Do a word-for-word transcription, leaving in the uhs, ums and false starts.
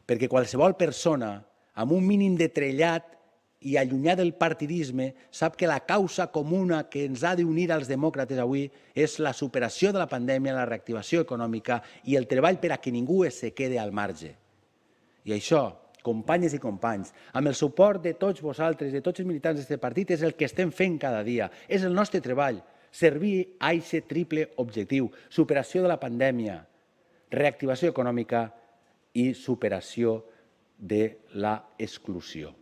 perquè qualsevol persona amb un mínim de trellat i allunyat del partidisme sap que la causa comuna que ens ha d'unir als demòcrates avui és la superació de la pandèmia, la reactivació econòmica i el treball per a que ningú es quede al marge. I això, companyes i companys, amb el suport de tots vosaltres, de tots els militants d'aquest partit, és el que estem fent cada dia. És el nostre treball, servir a aquest triple objectiu: superació de la pandèmia, reactivació econòmica i superació de l'exclusió.